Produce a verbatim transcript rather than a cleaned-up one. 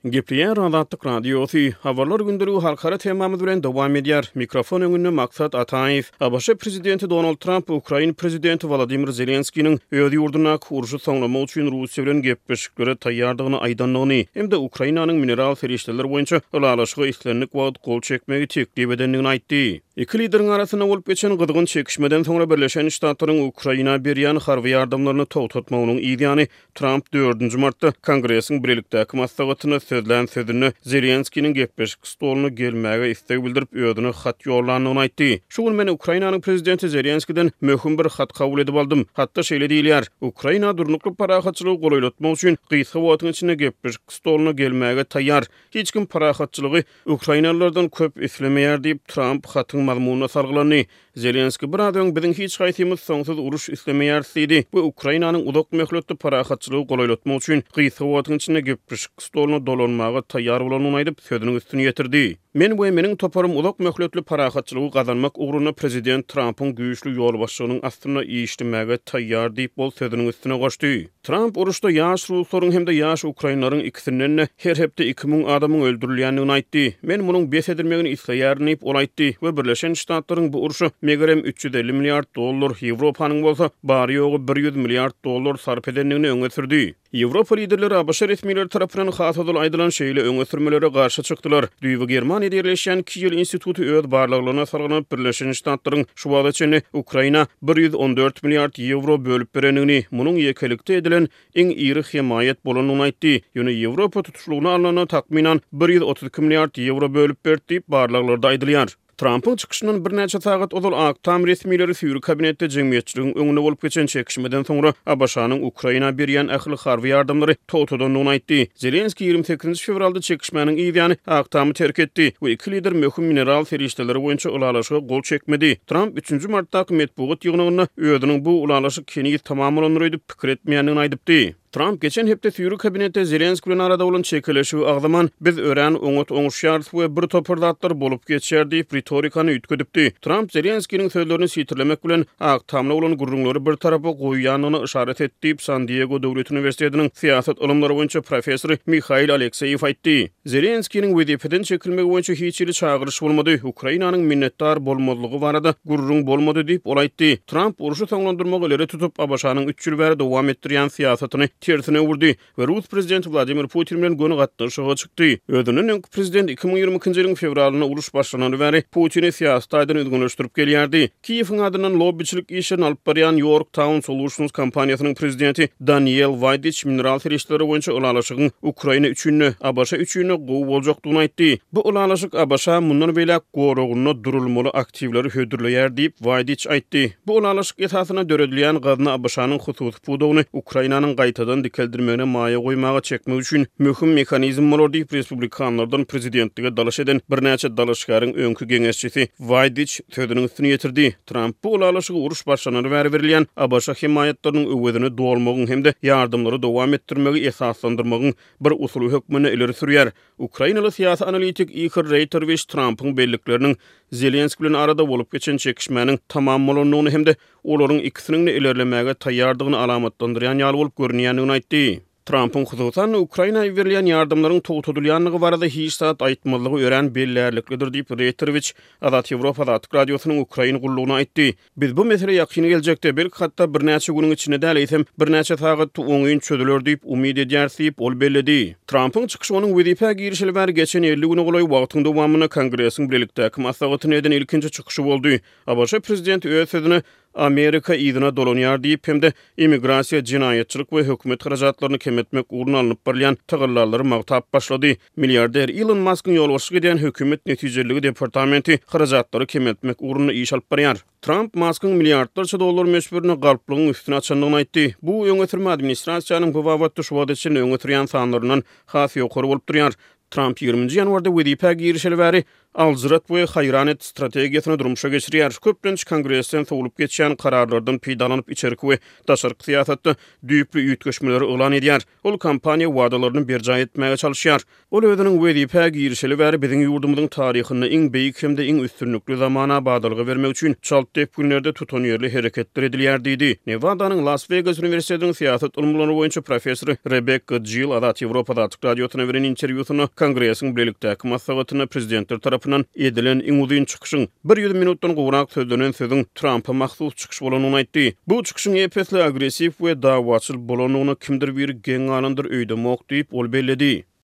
Gepleýär Azatlyk Radiosy. Habarlar gündeligi halkara temamyz bilen dowam edýär. Mikrofon öňünde Maksat Ataýew. A B Ş prezidenti Donald Tramp Ukrain prezidenti Wladimir Zelenskiniň öz ýurdundaky urşy soňlamak üçin Russiýa bilen gepleşiklere taýýardygyny aýdandygyny hem-de Ukrainanyň mineral serişdeler boýunça ylalaşyga islendik wagt gol çekmegi teklip edendigini aýtdy. Iki lideriň arasynda bolup geçen gyzgyn çekişmeden soňra Birleşen Ştatlaryň Ukraina berýän harby ýardamlaryny togtatmagynyň yzýany Tramp dördünji martda Kongresiň birlikdäki maslahatynda sözlän sözünde Zelenskiniň gepleşik stoluna gelmäge isleg bildirip özüne hat ýollandygyny aýtdy. Şu gün men Ukrainanyň prezidenti Zelenskiden möhüm bir hat kabul edip aldym. Hatda şeýle diýilýär: Ukraina durnukly parahatçylygy golaýlatmak üçin gysga wagtyň içinde gepleşik stoluna gelmäge taýýar. Hiç kim parahatçylygy Ukrainalylardan köp islemeýär diýip Tramp hatyň mazmunyna salgylandy. Zelenski biraz öň biziň hiç haýsymyz soňsuz uruş islemeýäris diýdi we Ukrainanyň uzak möhletli parahatçylygy golaýlatmak üçin gysga wagtyň içinde gepleşik stoluna dolanmaga taýýar bolanyny aýdyp sözüniň üstüni ýetirdi. Men we meniň toparym uzak möhletli parahatçylygy gazanmak ugrunda prezident Trampyň güýçli ýolbaşçylygynyň astynda işlemäge taýýar diýip ol sözüniň üstüne goşdy. Tramp uruşda ýaş ruslaryň hem-de ýaş ukrainlaryň ikisinden her hepde iki müň adamyň öldürilýändigini aýtdy. Men munuň bes edilmegini isleýärin diýip ol aýtdy we Birleşen Ştatlaryň bu urşa megerem üç ýüz elli milliard dollar, Ýewropanyň bolsa bary ýogy ýüz milliard dollar sarp edendigini öňe sürdi. Ýewropa liderleri A B Ş resmileri tarapyndan has ozal aýdylan şeýle öňe sürmelere garşy çykdylar. Düýbi Germaniýada ýerleşýän Kiel instituty öz barlaglaryna salgylanyp Birleşen Ştatlaryň şu wagta çenli Ukraina ýüz on dört milliard ýewro bölüp berendigini, munuň ýekelikde edilen iň iri hemaýat bolandygyny aýtdy. Ýöne Ýewropa tutuşlygyna alnanda takmynan ýüz otuz iki milliard ýewro bölüp berdi diýip barlaglarda aýdylýar. Trumpyň çykyşyndan birnäçe sagat ozal Ak Tam resmileri süýri kabinetde jemgyýetçiligiň öňünde bolup geçen çekişmeden soňra A B Ş-nyň Ukraina berýän ähli harby ýardamlary togtadandygyny aýtdy. Zelenski ýigrimi sekizinji fewralda çekişmäniň yzýany Ak Tamy terk etdi we iki lider möhüm mineral serişdeleri boýunça ylalaşyga gol çekmedi. Trump üçünji martdaky metbugat ýygnagynda özüniň bu ylalaşyk heniz tamam bolandyr öýdüp pikir etmeýändigini aýdypdy. Trump geçen hepde süýri kabinetde Zelenski bilen arada bolan çekeleşigi agzaman, biz örän oňat oňuşýarys we bir topar zatlar bolup geçýär diýip ritorikany üýtgedipdi. Trump Zelenskiniň sözlerini sitirlemek bilen Ak Tamla bolan gürrüňleri bir tarapa goýýandygyny yşarat etdi diýip San Diego Döwlet Uniwersitetiniň syýasat ylymlary boýunça professory Mihail Alekseýew aýtdy. Zelenskiniň wezipeden çekilmegi boýunça hiç hili çagyryş bolmady. Ukrainanyň minnetdar bolmazlygy barada gürrüň bolmady diýip ol aýtdy. Trump urşy soňlandyrmagy ileri tutup A B Ş-nyň üç ýyl bäri dowam etdirýän syýasatyny tersine öwürdi we Rus prezidenti Wladimir Putin bilen göni gatnaşyga çykdy. Özünden öňki prezident iki müň ýigrimi ikinji ýylyň fewralynda uruş başlanany bäri Putini syýasy taýdan üzňeleşdirip gelýärdi. Kiýewiň adyndan lobbiçilik işlerini alyp barýan Yorktown Solutions kompaniýasynyň prezidenti Daniel Waýdiç mineral serişdeleri boýunça ylalaşygyň Ukraina üçin-de, A B Ş üçin-de gowy boljakdygyny aýtdy. Bu ylalaşyk A B Ş mundan beýläk goragynda durulmaly aktiwleri hödürleýär diýip Waýdiç aýtdy. Bu ylalaşyk esasynda döredilýän gazna A B Ş-nyň hususy pudagyny Ukrainanyň gaýtadan dikeldirmegine maýa goýmaga çekmek üçin möhüm mehanizm bolar diýip respublikanlardan prezidentlige dalaş eden birnäçe dalaşgäriň öňki geňeşçisi Waýdiç sözüniň üstüni ýetirdi. Trump bu ylalaşygy uruş başlanany bäri berilýän A B Ş hemaýatlarynyň öwezini dolmagyň hem-de ýardamlary dowam etdirmegi esaslandyrmagyň bir usuly hökmünde ileri sürýär. Ukrainaly syýasy analitik Ihor Reýterwiç Trumpyň bellikleriniň Zelenski bilen arada bolup geçen çekişmäniň tamam bolandygyny hem-de olaryň ikisiniň de ilerlemäge taýýardygyny alamatlandyrýan ýaly bolup görünýändigini aýtdy. Trumpyň hususan Ukraina berilýän ýardamlaryň togtadylýandygy barada hiç zat aýtmazlygy örän bellärliklidir diýip Reýterwiç Azat Ýewropa Azatlyk Radiosynyň Ukrain gullugyna aýtdy. Biz bu mesele ýakyn geljekde belki hatda birnäçe günüň içinde däl eýsem birnäçe sagat oňyn çözüler diýip umyt edýäris diýip ol belledi. Trumpyň çykyşy onuň wezipä girişeli bäri geçen elli güne golaý wagtyň dowamynda Kongresiň birlikdäki maslahatyny eden ilkinji çykyşy boldy. A B Ş prezidenti öz sözüne Amerika yzyna dolanýar diýip hem-de immigrasiýa, jenaýatçylyk we hökümet harajatlaryny kemeltmek ugrunda alnyp barylýan tagallalary magtap başlady. Milliarder Elon Muskyň ýolbaşçylyk edýän hökümet netijeliligi departamenti harajatlary kemeltmek ugrunda iş alyp barýar. Trump Muskyň milliardlarça dollar möçberinde galplygyň üstüni açandygyny aýtdy. Bu öňe sürme administrasiýanyň bu babatda şu wagta çenli öňe sürýän sanlaryndan has ýokary bolup durýar. Trump ýigriminji ýanwarda wezipä girişeli bäri Aljyrat we haýran et strategiýasyny durmuşa geçirýär. Köplenç Kongresden sowlup geçýän kararlardan peýdalanyp, içerki we daşarky syýasatda düýpli üýtgeşmeleri yglan edýär. Ol kampaniýa wadalaryny berjaý etmäge çalyşýar. Ol özüniň wezipä girişeli bäri biziň ýurdumyzyň taryhynda iň beýik hem-de iň üstünlikli zamana badalga bermek üçin çalt depginlerde tutanýerli hereketler edilýär diýdi. Newadanyň Las-Wegas uniwersitetiniň syýasat ylymlary boýunça professory Rebekka Jill Azat Ýewropa Azatlyk Radiosyna beren interwýusynda Kongresiň bilelikdäki maslahatynda prezidentler tarapyndan edilen iň uzyn çykyşyň, bir ýüz minutdan gowrak sözlenen sözüň Trampa mahsus çykyş bolandygyny aýtdy. Bu çykyşyň ep-esli agressiw we dawaçyl bolandygyna kimdir biri geň galandyr öýdemok diýip, ol belledi.